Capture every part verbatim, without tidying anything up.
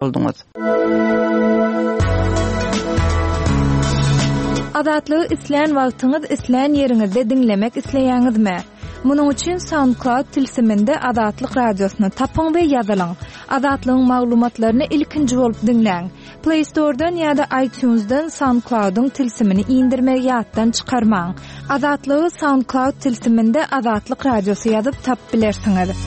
Bolduňyz. Azatlygy islän wagtyňyz, islän ýeriňizde diňlemek isleýäňizmi? Munuň üçin SoundCloud tilsiminde Azatlyk radiosyny tapyň we ýazylyň. Azatlygyň maglumatlaryny ilkinji bolup diňläň. Play Store'dan ýa-da iTunes'dan SoundCloud'yň tilsimini indirmegi ýatdan çykarmaň. Azatlygy SoundCloud tilsiminde Azatlyk radiosy ýazyp tapyp bilersiňiz.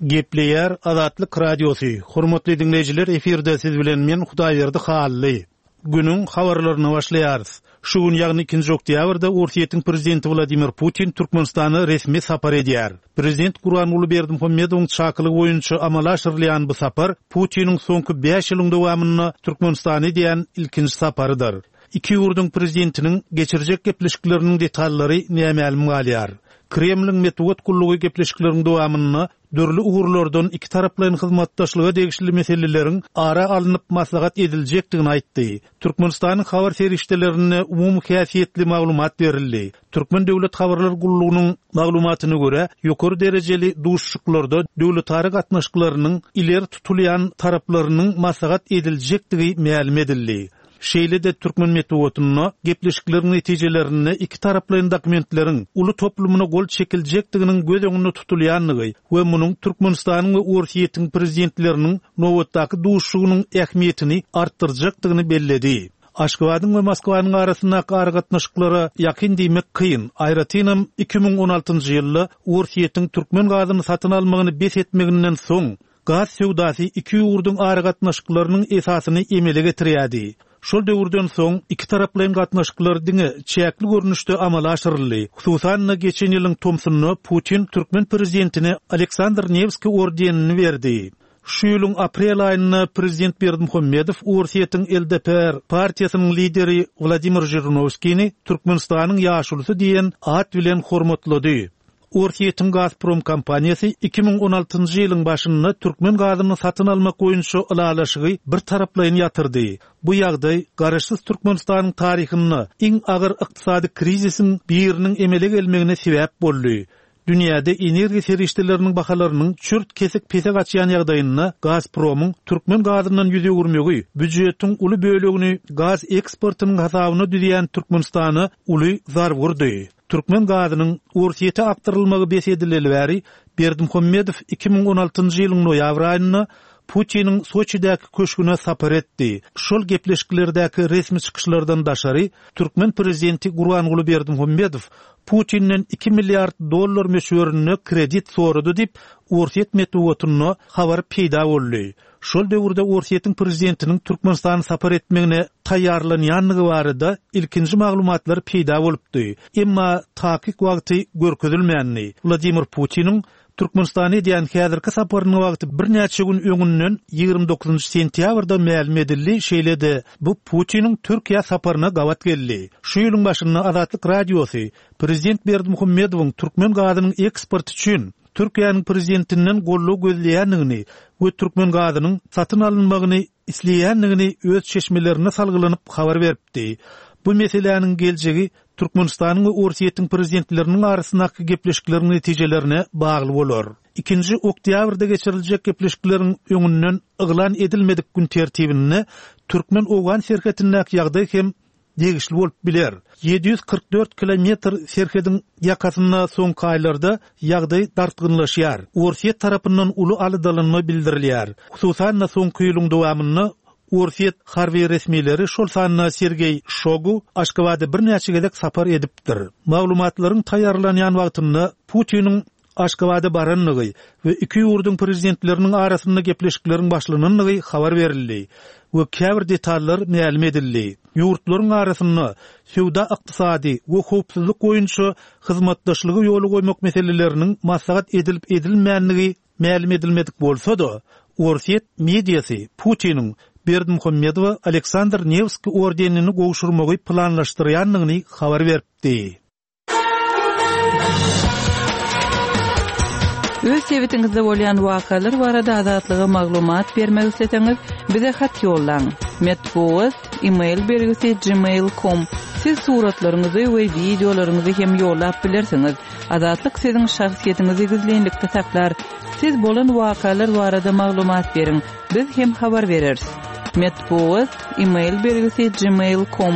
Gepleýär Azatlyk Radiosy. Hormatly dinleýjiler, efirde siz bilen men Hudaýberdi Hally. Günüň habarlaryny başlaýarys. Şu gün ýagny ikinji oktýabrda Orsýetiň prezidenti Wladimir Putin Türkmenistana resmi sapar edýär. Prezident Gurbanguly Berdimuhamedowyň çakylygy boýunça amala aşyrylýan bu sapar Putiniň soňky bäş ýylyň dowamynda Türkmenistana edýän ilkinji saparydyr. Iki ýurduň prezidentiniň geçirjek gepleşikleriniň detallary nämälim galýar. Kremliň metbugat gullugy gepleşikleriň dowamynda dürli ugurlardan iki taraplaýyn hyzmatdaşlyga degişli meseleleriň ara alnyp maslahat ediljekdigini aýtdy. Türkmenistanyň habar serişdelerinde umumy häsiýetli maglumat berildi. Türkmen Döwlet Habarlar Gullugynyň maglumatyna görä, ýokary derejeli duşuşyklarda döwletara gatnaşyklarynyň ileri tutulýan taraplarynyň maslahat ediljekdigi mälim edildi. Şeýle-de türkmen metbugatynda gepleşikleriň netijelerinde iki taraplaýyn dokumentleriň uly toplumyna gol çekiljekdiginiň göz öňünde tutulýandygy we munuň Türkmenistanyň we Orsýetiň prezidentleriniň nobatdaky duşuşygynyň ähmiýetini artdyrjakdygyny belledi. Aşgabadyň we Moskwanyň arasyndaky aragatnaşyklara ýakyn diýmek kyn. Aýratynam iki müň on altynjy ýylda Orsýetiň türkmen gazyny satyn almagyny bes etmeginden soň gaz söwdasy iki ýurduň aragatnaşyklarynyň esasyny emele getirýärdi. Şol döwürden soň iki taraplaýyn gatnaşyklar diňe çäkli görnüşde amala aşyryldy. Hususan-da geçen ýylyň tomsunda Putin türkmen prezidentine Aleksandr Nevski ordenini berdi. Şu ýylyň aprel aýynda prezident Berdimuhamedow Orsýetiň L D P R partiýasynyň lideri Wladimir Žirinowskini Türkmenistanyň ýaşulusy diýen at bilen hormatlady. Orsýetiň Gazprom kompaniýasy iki müň on altynjy ýylyň başynda türkmen gazyny satyn almak boýunça ylalaşygy bir taraplaýyn ýatyrdy. Bu ýagdaý Garaşsyz Türkmenistanyň taryhynda iň agyr ykdysady krizisiň biriniň emele gelmegine sebäp boldy. Dünýäde energiýa serişdeleriniň bahalarynyň çürt kesik pese gaçýan ýagdaýynda Gazpromyň türkmen gazyndan ýüz öwürmegi býujetiň uly bölegini gaz eksportynyň hasabyna düzýän Türkmenistana uly zarb urdy. Türkmen gazynyň Orsýete akdyrylmagy bes edileli bäri Berdimuhamedow iki müň on altynjy ýylyň noýabr aýynda Putiniň Soçidäki köşgüne sapar etdi. Şol gepleşiklerdäki resmi çykyşlardan daşary türkmen prezidenti Gurbanguly Berdimuhamedow Putinden iki milliard dollar möçberinde kredit sorady diýip Orsýet metbugatynda habar peýda boldy. Şol döwürde Orsýetiň prezidentiniň Türkmenistany sapar etmegine taýýarlanýanlygy barada ilkinji maglumatlar peýda bolupdy. Emma takyk wagty görkezilmändi. Wladimir Putiniň Türkmenistana edýän häzirki saparynyň wagty birnäçe gün öňünden ýigrimi dokuzynjy sentýabrda mälim edildi, şeýle-de bu Putiniň Türkiýe saparyna gabat geldi. Şu ýylyň başynda Azatlyk Radiosy Prezident Berdimuhamedowyň türkmen gazynyň eksporty üçin Türkiýäniň prezidentinden goldaw gözleýändigini we türkmen gazynyň satyn alynmagyny isleýändigini öz çeşmelerine salgylanyp habar beripdi. Bu meseläniň geljegi Türkmenistanyň we Orsýetiň prezidentleriniň arasyndaky gepleşikleriň netijelerine bagly bolar. Ikinji oktýabrda geçiriljek gepleşikleriň öňünden yglan edilmedik gün tertibinde Türkmen-Owgan serhetindäki ýagdaý hem degişli bolup biler. Ýedi ýüz kyrk dört kilometr serhediň ýakasynda soňky aýlarda ýagdaý dartgynlaşýar. Orsýet tarapyndan uly alydalanma bildirilýär. Hususan-da soňky ýylyň dowamynda Orsýet harby resmileri şol sanda Sergeý Şogu Aşgabada birnäçe gezek sapar edipdir. Maglumatlaryň taýýarlanýan wagtynda Putiniň Aşgabada baranlygy we iki ýurduň prezidentleriniň arasynda gepleşikleriň başlananlygy habar berildi we käbir detallar mälim edildi. Ýurtlaryň arasynda söwda ykdysady we howpsuzlyk boýunça hyzmatdaşlygy ýola goýmak meseleleriniň maslahat edilip edilmänligi mälim edilmedik bolsa-da, Orsýet mediasy Putiniň Berdimuhamedowa Aleksandr Nevski ordenini gowşurmagy planlaşdyrýanlygyny habar beripdi. Öz sebitiňizde bolýan wakalar barada Azatlyga maglumat bermek isleseňiz, bize hat ýollaň. Metbugat, e-mail belgisi gmail nokta com. Siz suratlaryňyzy we wideolaryňyzy hem ýollap bilersiňiz. Azatlyk siziň şahsyýetiňizi gizlinlikde saklar. Siz bolan wakalar barada maglumat beriň. Biz hem habar bereris. Metbugat e-mail belgisi gmail nokta com.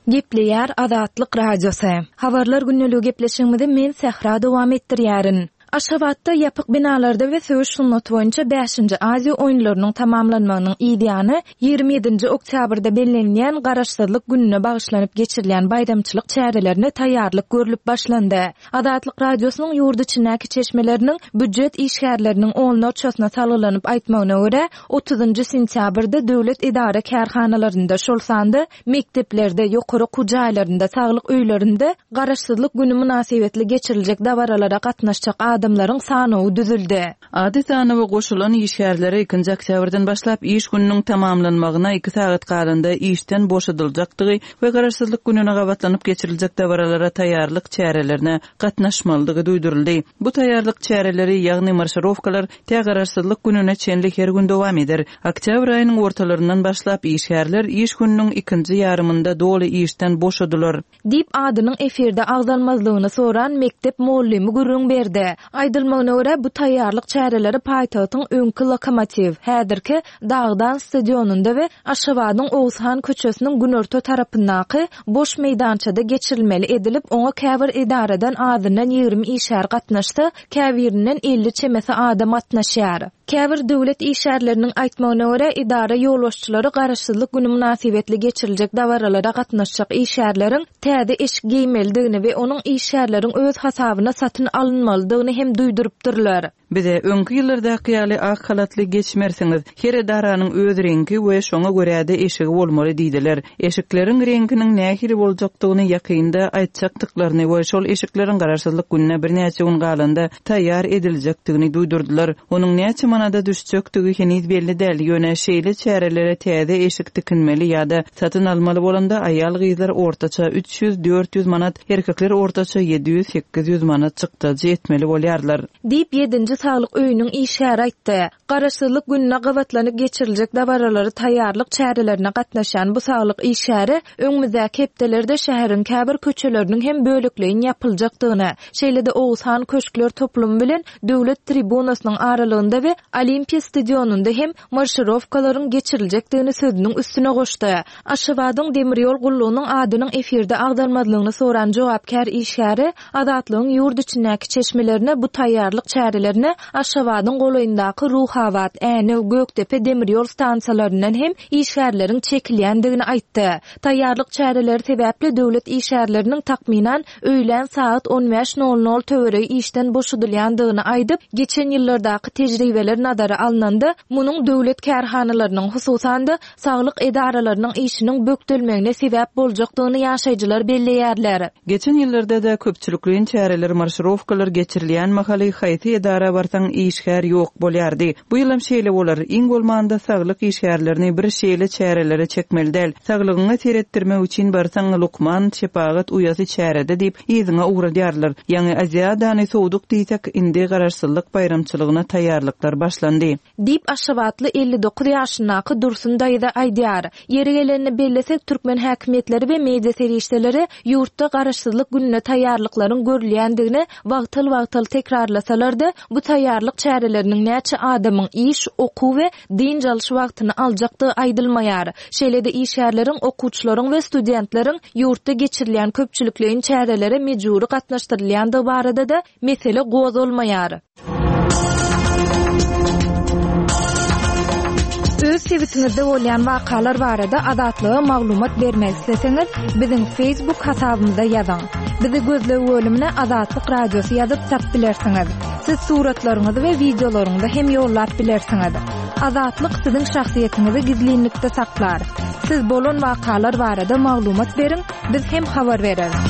Gepleýär Azatlyk Radiosy. Habarlar günlügi gepleşigimizi men Sähra dowam etdirýärin. Aşgabatda ýapyk binalarda we söweş sungaty boýunça bäşinji Aziýa oýunlarynyň tamamlanmagynyň ýany ýigrimi ýedinji oktýabrda bellenilýän Garaşsyzlyk gününe bagyşlanyp geçirilýän baýramçylyk çärelerine taýýarlyk görülip başlandy. Azatlyk Radiosynyň ýurt içindäki çeşmeleriniň büdjet işgärleriniň onlarçasyna salgylanyp aýtmagyna görä, otuzynjy sentýabrda döwlet edara kärhanalarynda, şol sanda mekdeplerde, ýokary okuw jaýlarynda, saglyk öýlerinde Garaşsyzlyk günü mynasybetli geçiriljek dabaralara gatnaşjak adamlaryň sanawy düzüldi. Ady sanawa goşulan işgärlere ikinji oktýabrdan başlap iş gününiň tamamlanmagyna iki sagat galanda işden boşadyljakdygy we Garaşsyzlyk gününe gabatlanyp geçiriljek dabaralara taýýarlyk çärelerine gatnaşmalydygy duýduryldy. Bu taýýarlyk çäreleri, ýagny marşirowkalar tä Garaşsyzlyk gününe çenli her gün dowam eder. Oktýabr aýynyň ortalaryndan başlap işgärler iş gününiň ikinji ýarymynda doly işden boşadylar. Diýip adynyň efirde agzalmazlygyny soran mektep muallymy gürrüň berdi. Aýdylmagyna görä bu taýýarlyk çäreleri paýtagtyň öňki lokomotiv, häzirki Dagdan stadionynda we Aşgabadyň Oguzhan köçesiniň günorta tarapyndaky boş meýdançada geçirilmeli edilip, oňa käbir edaradan azyndan ýigrimi işgär gatnaşsa, käbirinden elli çemesi adam gatnaşýar. Käbir döwlet işgärleriniň aýtmagyna görä edara ýolbaşçylary Garaşsyzlyk günü mynasybetli geçiriljek dabaralara gatnaşjak işgärleriň täze eşik geýmelidigini we onuň işgärleriň öz hasabyna satyn alynmalydygyny hem duýdurypdyrlar. Bize öňki ýyllardaky ýaly ak halatly geçmersiňiz. Her edaranyň öz reňki we şoňa görä-de eşigi bolmaly diýdiler. Eşikleriň reňkiniň nähili boljakdygyny ýakynda aýtjakdyklaryny we şol eşikleriň Garaşsyzlyk gününe birnäçe gün galanda taýýar ediljekdigini duýdurdylar. Onuň näçe manada düşjekdigi heniz belli däl. Ýöne şeýle çärelere täze eşik tikinmeli ýa-da satyn almaly bolanda aýal gyzlar ortaça üç ýüz dört ýüz manat, erkekler ortaça ýedi ýüz sekiz ýüz manat çykdajy etmeli bolýarlar. Diýip ýedinji saglyk öýüniň işgäri aýtdy. Garaşsyzlyk gününe gabatlanyp geçiriljek dabaralary taýýarlyk çärelerine gatnaşan bu saglyk işgäri öňümizdäki hepdelerde şäheriň käbir köçeleriniň hem bölekleýin ýapyljakdygyny, şeýle-de Oguzhan köşkler toplumy bilen döwlet tribunasynyň aralygynda we Olimpiýa stadionynda hem marşirowkalaryň geçiriljekdigini sözüniň üstüne goşdy. Aşgabadyň demir ýol gullugynyň adynyň efirde agzalmazlygyny soran jogapkär işgäri Azatlygyň ýurt içindäki çeşmelerine bu taýýarlyk çärelerine Aşgabadyň golaýyndaky Ruhabat, Änew, Gökdepe demir ýol stansiýalaryndan hem işgärleriň çekilýändigini aýtdy. Taýýarlyk çäreleri sebäpli döwlet işgärleriniň takmynan öýlän saat on bäş nol nol töweregi işden boşadylýandygyny aýdyp, geçen ýyllardaky tejribeler nazara alnanda, munuň döwlet kärhanalarynyň, hususan-da saglyk edaralarynyň işiniň bökdelmegine sebäp boljakdygyny ýaşaýjylar belleýärler. Geçen ýyllarda da köpçülikleýin çäreler, marşirowkalar geçirilýän mahaly haýsy edara barsaň işgär ýok bolýardy. Bu ýylam şeýle bolar. Iň bolmanda saglyk işgärlerini bir şeýle çärelere çekmeli däl. Saglygyňa seretdirmek üçin barsaň lukman şepagat uýasy çärede diýip yzyňa ugradýarlar. Ýaňy Aziadany sowduk diýsek, indi garaşsyzlyk baýramçylygyna taýýarlyklar başlandy. Diýip Aşgabatly elli dokuz ýaşyndaky Dursun daýza aýdýar. Ýeri gelenini bellesek, türkmen häkimiýetleri we media serişdeleri ýurtda garaşsyzlyk gününe taýýarlyklaryň görülýändigini wagtal-wagtal tekrarlasalar-da, bu taýýarlyk çäreleriniň näçe adamyň iş, okuw we dynç alyş wagtyny aljakdygy aýdylmaýar. Şeýle-de işgärleriň, okuwçylaryň we studentleriň ýurtda geçirilýän köpçülikleýin çärelere mejbury gatnaşdyrylýandygy barada-da mesele gozgalmaýar. Öz sebitiňizde bolýan wakalar barada Azatlyga maglumat bermek isleseňiz, biziň Facebook hasabymyza ýazyň. Bizi gözleg bölümine Azatlyk Radiosy ýazyp tap bilersiňiz. Siz suratlaryňyzy we wideolaryňyzy hem ýollap bilersiňiz. Azatlyk siziň şahsyýetiňizi gizlinlikde saklar. Siz bolan wakalar barada maglumat beriň, biz hem habar bereris.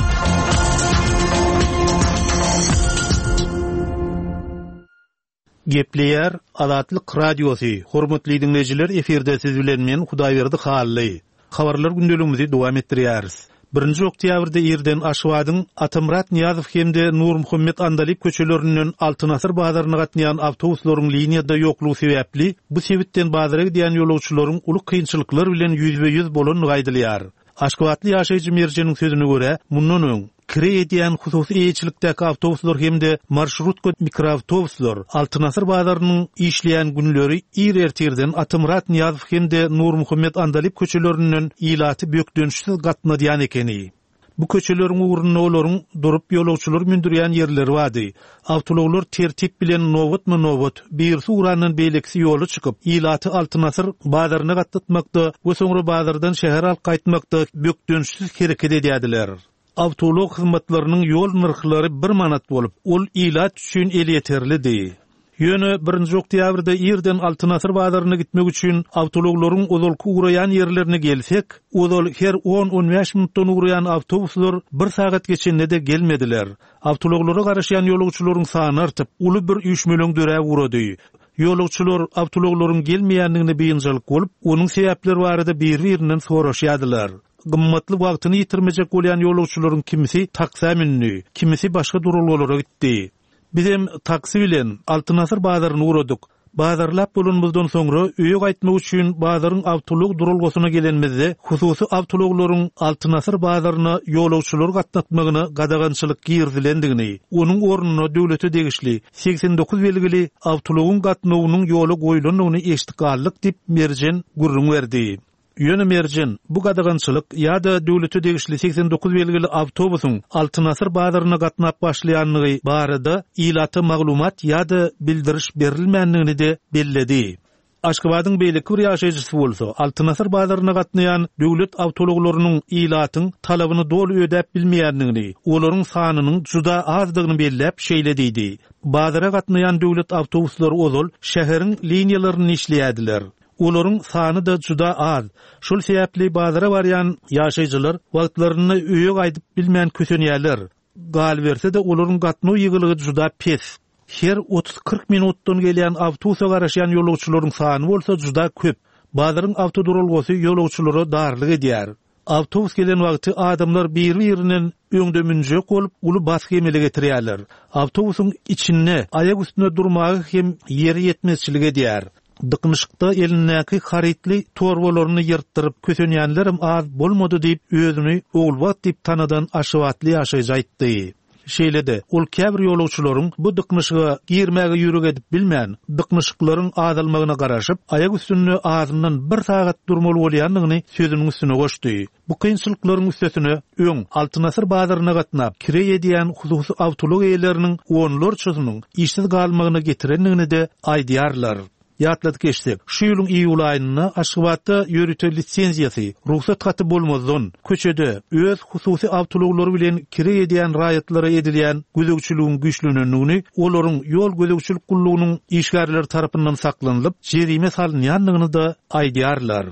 Gepleýär Azatlyk Radiosy. Hormatly dinleýjiler, efirde siz bilen men Hudaýberdi Hally. Habarlar gündeligimizi dowam etdirýäris. Birinji oktýabrda irden Aşgabadyň Atamyrat Nyýazow hem-de Nurmuhammet Andalyp köçelerinden Altyn Asyr bazaryna gatnaýan awtobuslaryň liniýada ýoklugy sebäpli bu sebitden bazara gidýän ýolagçylaryň uly kynçylyklar bilen ýüzbe-ýüz bolandygy aýdylýar. Aşgabatly ýaşaýjy Merjeniň sözüne görä, mundan öň kireý edýän hususy eýeçilikdäki awtobuslar hem-de marşrutka mikroawtobuslar Altyn Asyr bazarynyň işleýän günleri ir ertirden Atamyrat Nyýazow hem-de Nurmuhammet Andalyp köçelerinden ilaty bökdençsiz gatnadýan ekeni. Bu köçeleriň ugrunda olaryň durup ýolagçylar mündürýän ýerleri bardy. Awtoulaglar tertip bilen nobatma-nobat, birisi ugrandan beýlekisi ýola çykyp, ilaty Altyn Asyr bazaryna gatnatmakda we soňra bazardan şähere alyp gaýtmakda bökdençsiz hereket edýärdiler. Awtoulag hyzmatlarynyň ýol nyrhlary bir manat bolup, ol ilat üçin elýeterlidi. Ýöne birinji oktýabrda irden Altyn Asyr bazaryna gitmek üçin awtoulaglaryň ozalky ugraýan ýerlerine gelsek, ozal her on-on bäş minutdan ugraýan awtobuslar bir sagat geçende-de gelmediler. Awtoulaglara garaşýan ýolagçylaryň sany artyp, uly bir üýşmeleň döräp ugrady. Ýolagçylar awtoulaglaryň gelmeýändigine biynjalyk bolup, onuň sebäpleri barada bir-birinden soraşýardylar. Gymmatly wagtyny ýitirmejek bolýan ýolagçylaryň kimisi taksa mündi, kimisi başga duralgalara gitdi. Bizem taksi bilen Altyn Asyr bazaryny ugradyk. Bazarlap bolanymyzdan soňra öýe gaýtmak üçin bazaryň awtoulag duralgasyna gelenimizde hususy awtoulaglaryň Altyn Asyr bazaryna ýolagçylary gatnatmagyna gadagançylyk girizilendigini, onuň ornuna döwlete degişli seksen dokuz belgili awtoulagyň gatnawynyň ýola goýulandygyny eşitdik galdyk diýip Merjen gürrüň berdi. Ýöne Merjen, bu gadagançylyk ýa-da döwlete degişli seksen dokuz belgili awtobusyň Altyn Asyr bazaryna gatnap başlaýandygy barada ilata maglumat ýa-da bildiriş berilmändigini de belledi. Aşgabadyň beýleki bir ýaşaýjysy bolsa, Altyn Asyr bazaryna gatnaýan döwlet awtoulaglarynyň ilatyň talabyny doly ödäp bilmeýändigini, olaryň sanynyň juda azdygyny belläp şeýle diýdi. Bazara gatnaýan döwlet awtobuslary ozal şäheriň liniýalaryny işleýärdiler. Olaryň sany da juda az. Şol sebäpli bazara barýan ýaşaýjylar wagtlaryny öýe gaýdyp bilmän kösenýärler. Galyberse-de olaryň gatnaw ýygylygy juda pes. Her otuz-kyrk minutdan gelýän awtobusa garaşýan ýolagçylaryň sany bolsa juda köp. Bazaryň awtoduralgasy ýolagçylara darlyk edýär. Awtobus gelen wagty adamlar bir-birinden öňde münjek bolup, uly basgy emele getirýärler. Awtobusyň içinde aýak üstünde durmagy hem ýeri ýetmezçilik edýär. Dyknyşykda elindäki harytly torbalaryny ýyrtdyryp kösenýänlerim az bolmady diýip, özüni Ogulbagt diýip tanadan Aşgabatly ýaşaýjy aýtdy. Şeýle-de, ol käbir ýolagçylaryň bu dyknyşyga girmäge ýürek edip bilmän, dyknyşyklaryň azalmagyna garaşyp, aýak üstünde azyndan bir sagat durmaly bolýandygyny sözüniň üstüne goşdy. Bu kynçylyklaryň üstesine öň Altyn Asyr bazaryna gatnap, kireý edýän hususy awtoulag eýeleriniň onlarçasynyň işsiz galmagyna getirendigini de aýdýarlar. Ýatladyk geçsek, şu ýylyň iýul aýynda Aşgabatda ýörite lisenziýasy, rugsat haty bolmazdan, köçede öz hususy awtoulaglary bilen kireý edýän raýatlara edilýän gözegçiligiň güýçlenendigini, olaryň ýol gözegçilik gullugynyň işgärleri tarapyndan saklanylyp, jerime salynýandygyny da aýdýarlar.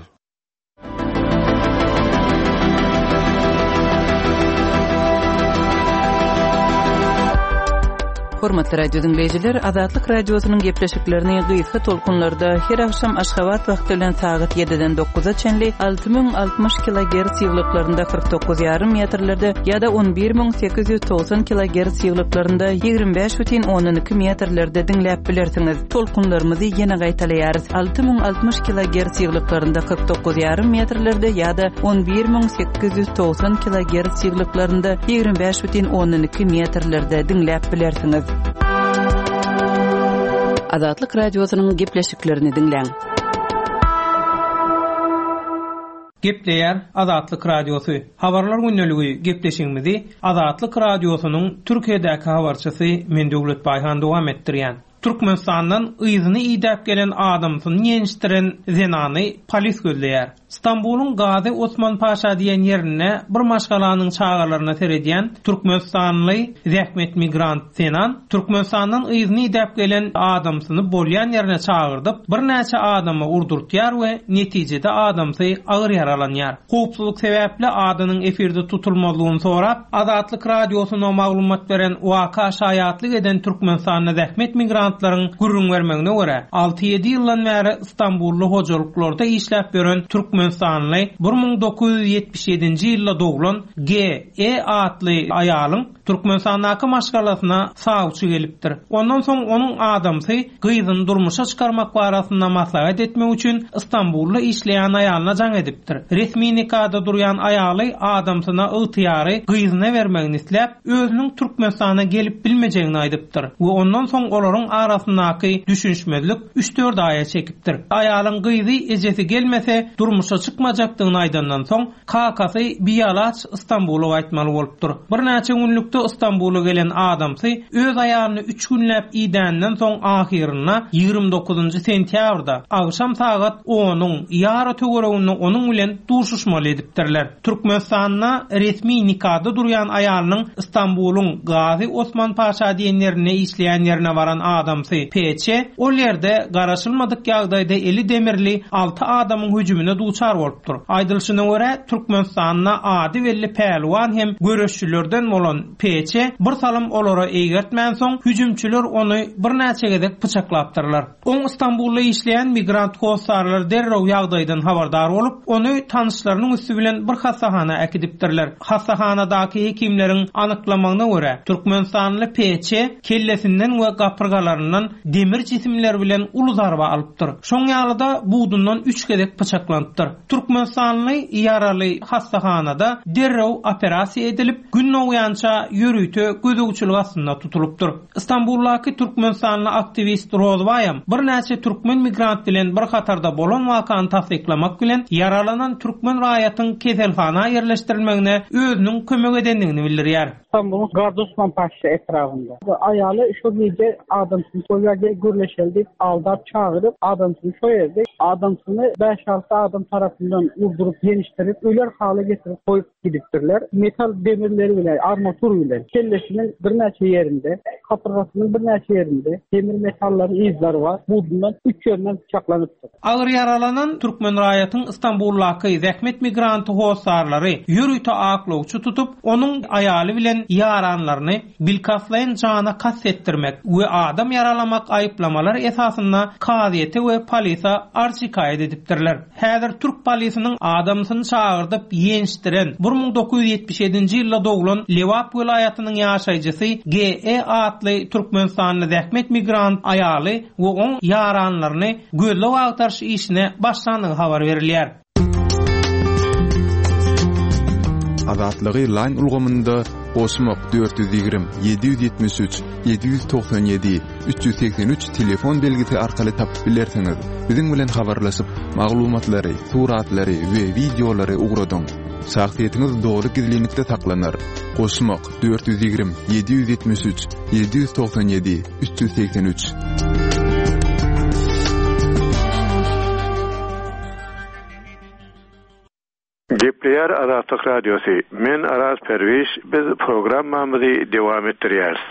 Hormatly radio dinleýjiler, Azatlyk radiosynyň gepleşiklerini gysga tolkunlarda her akşam Aşgabat wagty bilen sagat ýediden dokuza çenli alty müň altmyş kilogertz ýyglyklarynda kyrk dokuz ýarym metrlerde ýa-da on bir müň sekiz ýüz togsan kilogertz ýyglyklarynda ýigrimi bäş bütin ondan iki metrlerde diňläp bilersiňiz. Tolkunlarymyzy ýene gaýtalaýarys. Alty müň altmyş kilogertz ýyglyklarynda kyrk dokuz ýarym metrlerde ýa-da on bir müň sekiz ýüz togsan kilogertz ýyglyklarynda ýigrimi bäş bütin ondan iki metrlerde diňläp bilersiňiz. Azatlyk radiosynyň gepleşiklerini diňläň. Gepleýär Azatlyk Radiosy. Habarlar gündeligi gepleşigimizi Azatlyk Radiosynyň Türkiýedäki habarçysy Men Döwlet Baýhan dowam etdirýän. Türkmenistandan yzyny idäp gelen adamsyny ýenişdiren zenany polis gözleýär. Stambuluň Gazi Osman Paşa diýen ýerinde bir maşgalanyň çagalaryna seredýän Türkmenistanly zähmet migrant zenan Türkmenistandan yzyny idäp gelen adamsyny bolýan ýerine çagyrdyp, birnäçe adamy urdurtýar we netijede adamsy agyr ýaralanýar. Howpsuzlyk sebäpli adynyň efirde tutulmazlygyny sorap, Azatlyk Radiosyna maglumat beren waka şaýatlyk eden Türkmenistanda zähmet migrantlaryň gürrüň bermegine görä, alty-ýedi ýyldan bäri Stambully hojalyklarda işläp ýören Türkmen Türkmenistanly bir müň dokuz ýüz ýetmiş ýedinji ýylda doglan G E atly aýalyň Türkmenistandaky maşgalasyna sawçy gelipdir. Ondan soň onuň adamsy gyzyny durmuşa çykarmak barasynda maslahat etmek üçin Istanbulda işleýän aýalyna jaň edipdir. Resmi nikada durýan aýaly adamsyna ygtyýary gyzyna bermegini isläp, özüniň Türkmenistana gelip bilmejegini aýdypdyr we ondan soň olaryň arasyndaky düşünişmezlik üç dört aýa çekipdir. Aýalyň gyzy ejesi gelmese durmuşa çykmajakdygyny aýdandan soň kakasy bialaç Istanbula gaýtmaly bolupdyr. Birnäçe günlükde Istanbula gelen adamsy öz aýalyny üç günläp idänden soň ahyrynda ýigrimi dokuzynjy sentýabrda agşam sagat onuň ýary töwereginde onuň bilen duşuşmaly edipdirler. Türkmenistanda resmi nikada durýan aýalynyň Istanbuluň Gazi Osman Paşa diýen ýerine işleýän ýerine baran adamsy P Ç ol ýerde garaşylmadyk ýagdaýda eli demirli alty adamyň hüjümine duçar bolupdyr. Aýdylyşyna görä Türkmenistanda ady belli pälwan hem göreşçilerden bolan P Ç bir salym olara eýgertmän soň hüjümçiler ony birnäçe gezek pyçaklapdyrlar. Oň Istanbulda işleýän migrant hossarlar derrew ýagdaýdan habardar bolup, ony tanyşlarynyň üstü bilen bir hassahana äkidipdirler. Hassahanadaky hekimleriň anyklamagyna görä Türkmenistanly P Ç kellesinden we gapyrgalaryndan demir jisimler bilen uly zarba alypdyr. Şoň ýaly-da budundan üç gezek pyçaklanypdyr. Türkmenistanly ýaraly hassahanada derrew operasiýa edilip, gün dogýança ýörite gözegçilik astynda tutulypdyr. Istanbuldaky Türkmenistanly aktiwist Rozbaýam birnäçe türkmen migrant bilen bir hatarda bolan wakany tassyklamak bilen ýaralanan türkmen raýatyň keselhana ýerleşdirilmegine özüniň kömek edendigini bildirýär. Istanbul'un Gazi Osman Paşa etrafında. Aýaly şu gije adamsyny şo ýerde gürleşeli diýip aldap çagyryp adamsyny şo ýerde adamsyny bäş alty adam tarapyndan urduryp ýenişdirip öler hala getirip goýup gidipdirler. Metal demirleri bilen armatur bilen kellesiniň birnäçe ýerinde, kapyrgasynyň birnäçe ýerinde demir metallaryň izleri bar. Budundan üç ýerinden bıçaklanypdyr. Agyr ýaralanan türkmen raýatyň Istanbuldaky zähmet migranty hossarlary ýörite aklawçy tutup, onuň aýaly bilen ýaranlaryny bilkastlaýyn jana kast etdirmek we adam ýaralamak aýyplamalar esasynda kazyýete we polise arz şikaýat edipdirler. Häzir türk polisiniň adamsyny çagyrdyp ýenişdiren bir müň dokuz ýüz ýetmiş ýedinji ýylda doglan Lebap welaýatynyň ýaşaýjysy G E atly Türkmenistanly zähmet migrant aýaly we oň ýaranlaryny gözleg agtaryş işine başlandygy habar berilýär. Azatlygy line ulgamynda goşmak dört ýüz ýigrimi, ýedi ýüz ýetmiş üç, ýedi ýüz togsan ýedi, üç ýüz segsen üç telefon belgisi arkaly tapyp bilersiňiz. Biziň bilen habarlaşyp, maglumatlary, suratlary we wideolary ugradyň. Şahsyýetiňiz dogry gizlinlikde saklanar. Goşmak dört ýüz ýigrimi, ýedi ýüz ýetmiş üç, ýedi ýüz togsan ýedi, üç ýüz segsen üç. Gepleýär Azatlyk Radiosy. Men Araz Perwiş, biz programmamyzy dowam etdirýäris.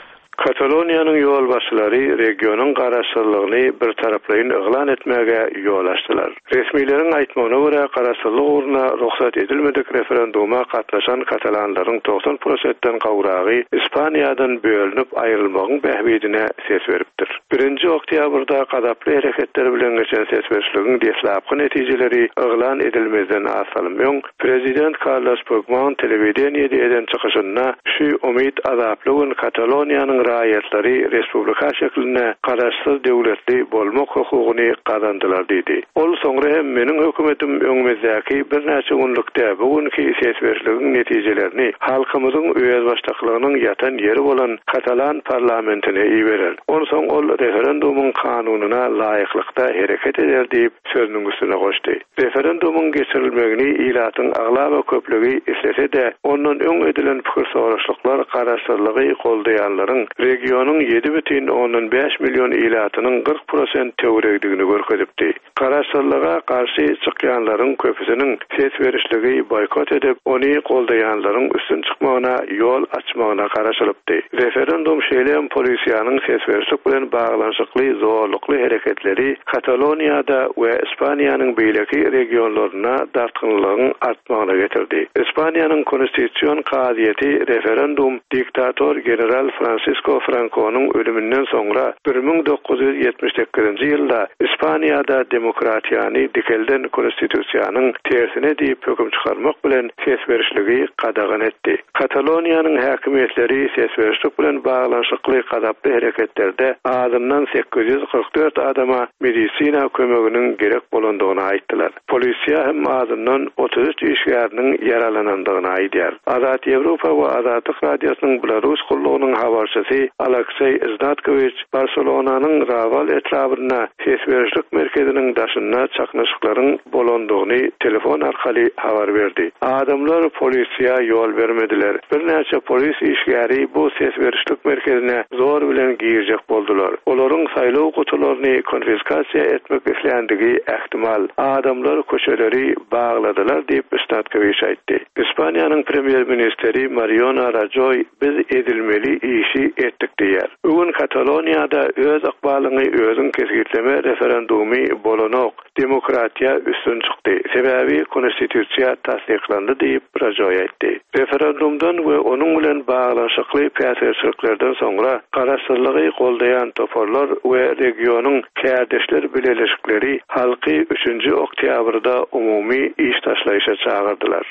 Kataloniýanyň ýolbaşçylary regionyň garaşsyzlygyny bir taraplaýyn yglan etmäge ýol açdylar. Resmileriň aýtmagyna görä garaşsyzlyk ugruna rugsat edilmedik referenduma gatnaşan katalanlaryň togsan prosentden gowragy Ispaniýadan bölünip aýrylmagyň bähbidine ses beripdir. Birinji oktýabrda gazaply hereketler bilen geçen ses berişligiň deslapky netijeleri yglan edilmezden az salym öň Prezident Carlos Puigdemont telewideniýede eden çykyşynda şu umyt azaply gün Kataloniýanyň raýatlary respublika şeklinde garaşsyz döwletli bolmak hukugyny gazandylar diýdi. Ol soňra hem meniň hökümetim öňümizdäki birnäçe günlükde bu günki ses berişligiň netijelerini halkymyzyň özbaşdaklygynyň ýatan ýeri bolan Katalan parlamentine iberer. Onsoň ol referendumyň kanunyna laýyklykda hereket eder diýip sözüniň üstüne goşdy. Referendumyň geçirilmegini ilatyň aglaba köplügi islese-de, ondan öň edilen pikir soraşlyklar garaşsyzlygy goldaýanlaryň regionyň ýedi bütin ondan bäş milyon ilatynyň kyrk prosent töweregdigini görkezipdi. Garaşsyzlyga garşy çykýanlaryň köpüsiniň ses berişligi boýkot edip, ony goldaýanlaryň üstün çykmagyna ýol açmagyna garaşylypdy. Referendum şeýle hem polisiýanyň ses berişlik bilen baglanyşykly zorlukly hereketleri Kataloniýada we Ispaniýanyň beýleki regionlaryna dartgynlygyň artmagyna getirdi. Ispaniýanyň konstitusion kazyýeti referendum diktator general Francisco Fransisko Frankonyň ölüminden soňra bir müň dokuz ýüz ýetmiş sekizinji ýylda Ispaniýada demokratiýany dikelden konstitusiýanyň tersine diýip höküm çykarmak bilen ses berişligi gadagan etdi. Kataloniýanyň häkimiýetleri ses berişlik bilen baglanyşykly gazaply hereketlerde azyndan sekiz ýüz kyrk dört adama medisina kömeginiň gerek bolandygyny aýtdylar. Polisiýa hem azyndan otuz üç işgäriniň ýaralanandygyny aýdýar. Azat Ýewropa we Azatlyk Radiosynyň Belarus gullugynyň habarçysy Alekseý Znatkowiç Barselonanyň Raval etrabynda ses berişlik merkeziniň daşynda çaknyşyklaryň bolandygyny telefon arkaly habar berdi. Adamlar polisiýa ýol bermediler. Birnäçe polis işgäri bu ses berişlik merkezine zor bilen girjek boldular. Olaryň saýlaw gutularyny konfiskasiýa etmek isländigi ähtimal. Adamlar köçeleri bagladylar diýip Znatkowiç aýtdy. Ispaniýanyň premýer-ministri Mariano Rajoy biz edilmeli işi etdik diýär. Bugün Kataloniýada öz ykbalyňy özüň kesgitleme referendumy bolanok. Demokratiýa üstün çykdy. Sebäbi konstitusiýa tassyklandy diýip Rajoy aýtdy. Referendumdan we onuň bilen baglanyşykly päsgelçiliklerden soňra garaşsyzlygy goldaýan toparlar we regionyň kärdeşler bileleşikleri halky üçünji oktýabrda umumy iş taşlaýşa çagyrdylar.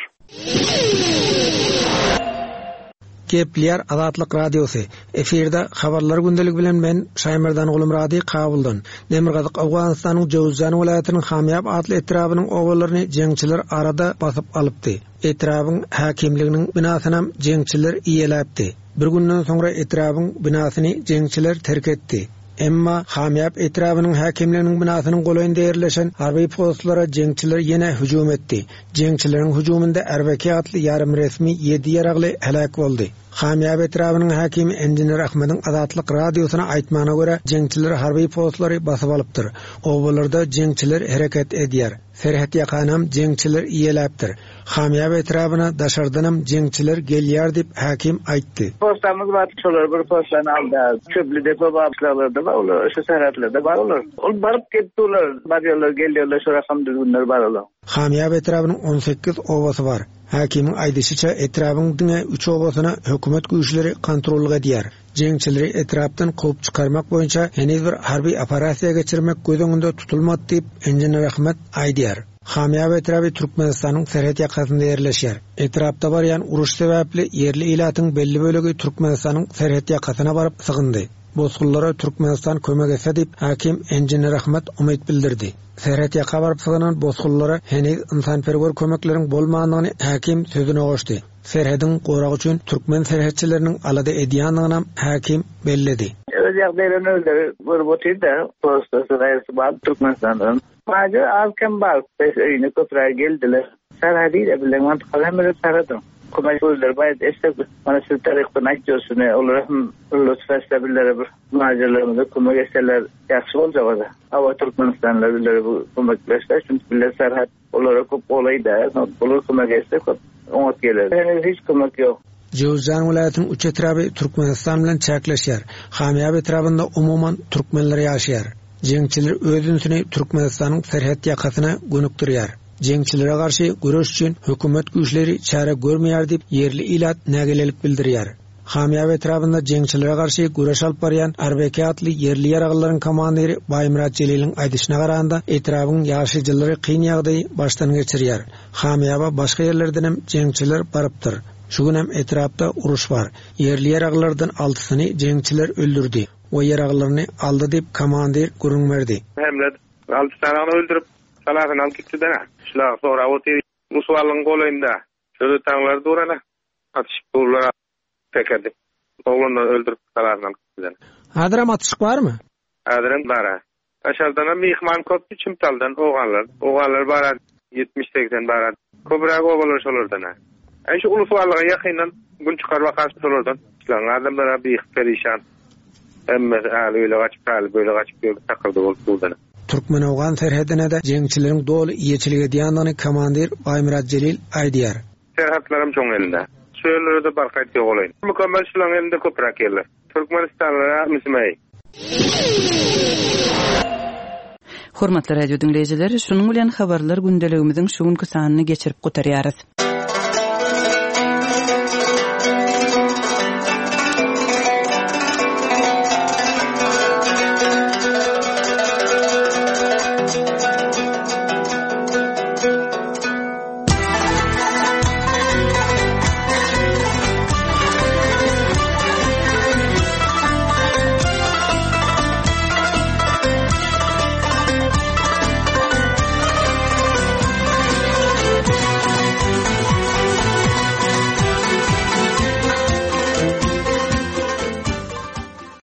Gepleýär Azatlyk Radiosy. Efirde habarlar gündelik bilen men Şaýmerdan Gulumrady Kabuldan. Demirgazyk Owganystanyň Jowzjan welaýatynyň Hamýab atly etrabynyň obalaryny jeňçiler arada basyp alypdy. Etrabyň häkimliginiň binasyny jeňçiler iýeläpdi. Bir günden soňra etrabyň binasyny jeňçiler terk etdi. Emma Hamýab etrabynyň häkimliginiň binasynyň golaýynda ýerleşen harby postlara jeňçiler ýene hüjüm etdi. Jeňçileriň hüjüminde Erbeki atly ýarym resmi ýedi ýaragly heläk boldy. Hamýab etrabynyň häkimi Engineer Ahmediň Azatlyk Radiosyna aýtmagyna görä, jeňçiler harby postlary basyp alypdyr. Obalarda jeňçiler hereket edýär. Serhet ýakanam jeňçiler iýeläpdir. Hamýab etrabyna daşardanam jeňçiler gelýär diýip häkim aýtdy. Postamyz bar, şolar bir postany aldy. Çöplü depo bar, şolarda bar, olar şu serhetlerde bar olar. Ol baryp gelip durlar, barýarlar, gelýärler, şu rakam düzgünler bar olar. Hamýab etrabynyň on sekiz obasy bar. Häkimiň aýdyşyça etrabyň diňe üç obasyna hökümet güýçleri kontrollyk edýär. Jeňçileri etrapdan kowup çykarmak boýunça heniz bir harby operasiýa geçirmek göz öňünde tutulmady diýip Engineer Ahmet aýdýar. Hamýab etraby Türkmenistanyň serhet ýakasynda ýerleşýär. Etrapda barýan uruş sebäpli ýerli ilatyň belli bölegi Türkmenistanyň serhet ýakasyna baryp sygyndy. Bosgunlara Türkmenistan kömek etse diýip häkim Engineer Ahmet umyt bildirdi. Serhet ýaka baryp sygynan bosgunlara heniz insanperwer kömekleriň bolmandygyny häkim sözüne goşdy. Serhediň goragy üçin türkmen serhetçileriniň alada edýändigini häkim belledi. Öz ýagdaýlaryny özleri görüp otyr-da, postasy gaýrysy bar Türkmenistandan. Maýda az kem bar, beş öýüne köpräk geldiler. Serhedi de bilen mantykaly hem öyle serhedim. Kömek özleri baýat etse, mana siz tarykdan aýtýarsyny, olar hem lütf etse billere bir muhacirlerimize kömek etseler ýagşy boljak o-da. Awa Türkmenistanlylar billere bu kömekleşse, çünki bille serhet olara köp golaý da, olar kömek etse köp oňat geler. Henüz hiç kömek ýok. Jowzjan welaýatynyň üç etraby Türkmenistan bilen çäkleşýär. Hamýab etrabynda umuman türkmenler ýaşaýar. Jeňçiler öz ünsüni Türkmenistanyň serhet ýakasyna gönükdirýär. Jeňçilere garşy göreş üçin hökümet güýçleri çäre görmeýär diýip ýerli ilat nägilelik bildirýär. Hamýab etrabynda jeňçilere garşy göreş alyp barýan Arbeki atly ýerli ýaraglylaryň komandiri Baýmyrat Jeliliň aýdyşyna garanda etrabyň ýaşaýjylary kyn ýagdaýy başdan geçirýär. Hamýaba başga ýerlerden hem jeňçiler barypdyr. Şu gün hem etrapda uruş bar. Ýerli ýaraglylardan altysyny jeňçiler öldürdi we ýaraglylaryny aldy diýip komandir gürrüň berdi. Hemle alty tane öldürip salasyny alyp gitdi dana. Şular sonra otyr Musuwalyň golaýynda. Şöyle taňlar durana atyşyp durlar tekerdi. Oglanlar öldürip salasyny alyp gitdi. Häzirem atyşyk barmy? Häzirem bar. Aşardan mihman köp Çimtaldan oganlar. Oganlar bar ýetmiş seksen bar. Köpräk obalar şolardan. Ay şu Ulusuwalyga ýakyndan gün çykar bakar şolardan. Şular adamlara bir perişan. Hemmesi äli öyle gaçyp, äli böyle gaçyp ýörüp takyldy bolup durdan. Türkmen-Owgan serhedine de jeňçileriň doly iýeçilik edýändigini komandir Baýmyrat Jelil aýdýar. Serhetlerim çoň elinde. Şu ýerlere de barkaýt ýok olaýyn. Mükemmel şularyň elinde köpräk ýerler. Türkmenistanlylara müsmeý. Hormatly radio diňleýjiler, şunuň bilen habarlar gündeligimiziň şu günki sanyny geçirip gutarýarys.